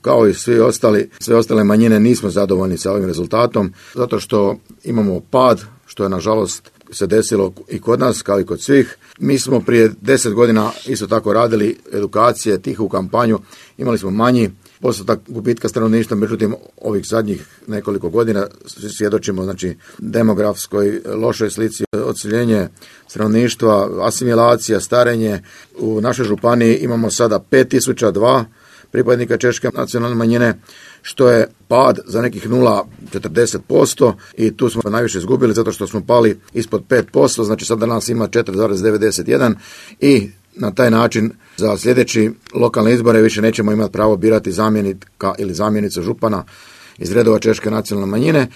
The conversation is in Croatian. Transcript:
kao i sve ostale manjine nismo zadovoljni sa ovim rezultatom, zato što imamo pad, što je nažalost se desilo i kod nas, kao i kod svih. Mi smo prije 10 godina isto tako radili edukacije, tihu kampanju, imali smo manji postotak gubitka stanovništva, međutim ovih zadnjih nekoliko godina svjedočimo demografskoj lošoj slici, odseljenje stanovništva, asimilacija, starenje. U našoj županiji imamo sada 5002 pripadnika češke nacionalne manjine, što je pad za nekih 0,40% i tu smo najviše izgubili zato što smo pali ispod 5%, znači sada nas ima 4,91 i na taj način za sljedeći lokalne izbore više nećemo imati pravo birati zamjenika ili zamjenicu župana iz redova češke nacionalne manjine,